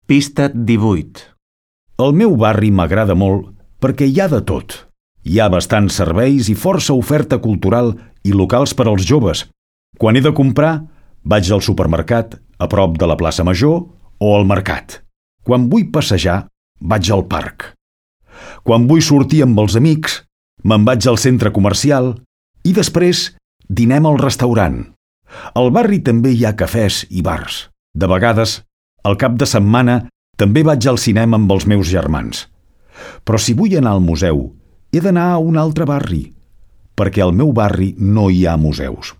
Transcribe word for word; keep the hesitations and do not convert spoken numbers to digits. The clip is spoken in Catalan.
Pista divuit. El meu barri m'agrada molt perquè hi ha de tot. Hi ha bastants serveis i força oferta cultural i locals per als joves. Quan he de comprar, vaig al supermercat a prop de la plaça Major o al mercat. Quan vull passejar, vaig al parc. Quan vull sortir amb els amics, me'n vaig al centre comercial i després dinem al restaurant. Al barri també hi ha cafès i bars. De vegades, al cap de setmana, també vaig al cinema amb els meus germans. Però si vull anar al museu, he d'anar a un altre barri, perquè al meu barri no hi ha museus.